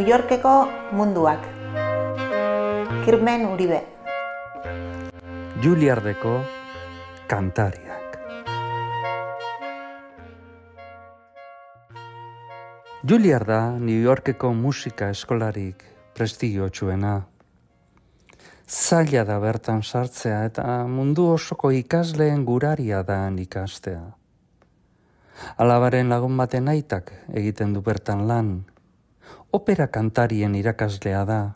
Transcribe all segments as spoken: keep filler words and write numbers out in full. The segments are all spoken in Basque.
New Yorkeko munduak. Kirmen Uribe. Juilliardeko kantariak. Juilliard da New Yorkeko musika eskolarik prestigiotsuena. Zaila da bertan sartzea eta mundu osoko ikasleen guraria da ikastea. Alabaren lagun baten aitak egiten du bertan lan. Opera kantarien irakaslea da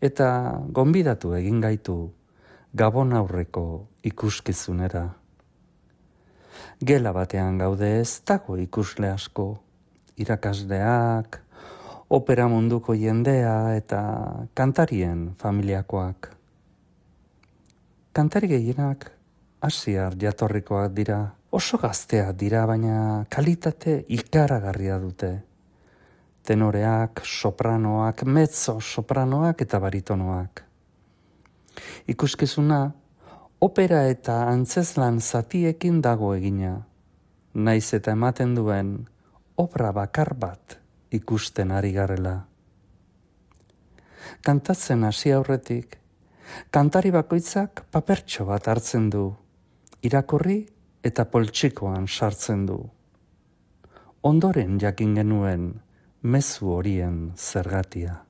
eta gonbidatu egin gaitu Gabon aurreko ikuskizunera. Gela batean gaude, ez dago ikusle asko, irakasleak, opera munduko jendea eta kantarien familiakoak. Kantari gehienak asiar jatorrikoak dira, oso gazteak dira, baina kalitate ikaragarria dute. Tenoreak, sopranoak, mezzo sopranoak eta baritonoak. Ikuskizuna opera eta antzezlan zatiekin dago egina, naiz eta ematen duen obra bakar bat ikusten ari garela. Kantatzen hasi aurretik, kantari bakoitzak papertxo bat hartzen du, irakurri eta poltsikoan sartzen du. Ondoren jakin genuen mezu horien zergatia.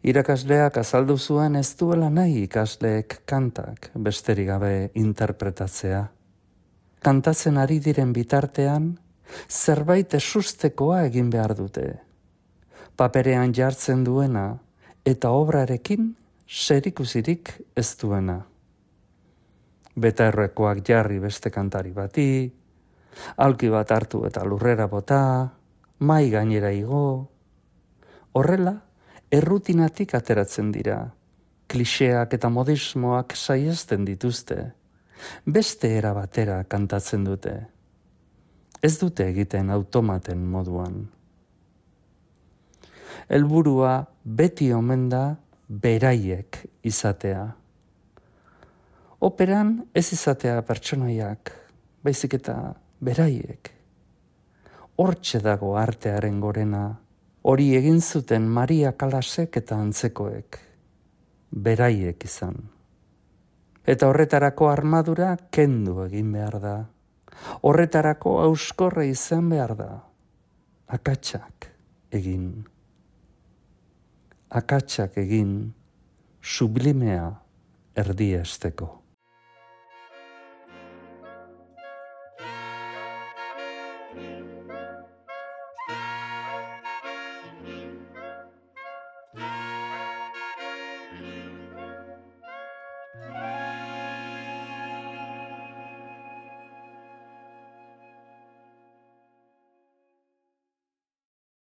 Irakasleak azaldu zuen ez duela nahi ikasleek kantak besterik gabe interpretatzea. Kantatzen ari diren bitartean, zerbait esustekoa egin behar dute. Paperean jartzen duena eta obrarekin zerikusirik ez duena. Betaerrekoak jarri beste kantari bati, aulki bat hartu eta lurrera bota, mai gainera igo. Horrela, errutinatik ateratzen dira, kliseak eta modismoak saiesten dituzte, beste era batera kantatzen dute. Ez dute egiten automaten moduan. Helburua beti omen da beraiek izatea. Operan ez izatea pertsonaiak, baizik eta beraiek. Hortxe dago artearen gorena, hori egin zuten Maria Kalasek eta antzekoek, beraiek izan. Eta horretarako armadura kendu egin behar da. Horretarako auskorre izan behar da. Akatsak egin. Akatsak egin, sublimea erdiesteko.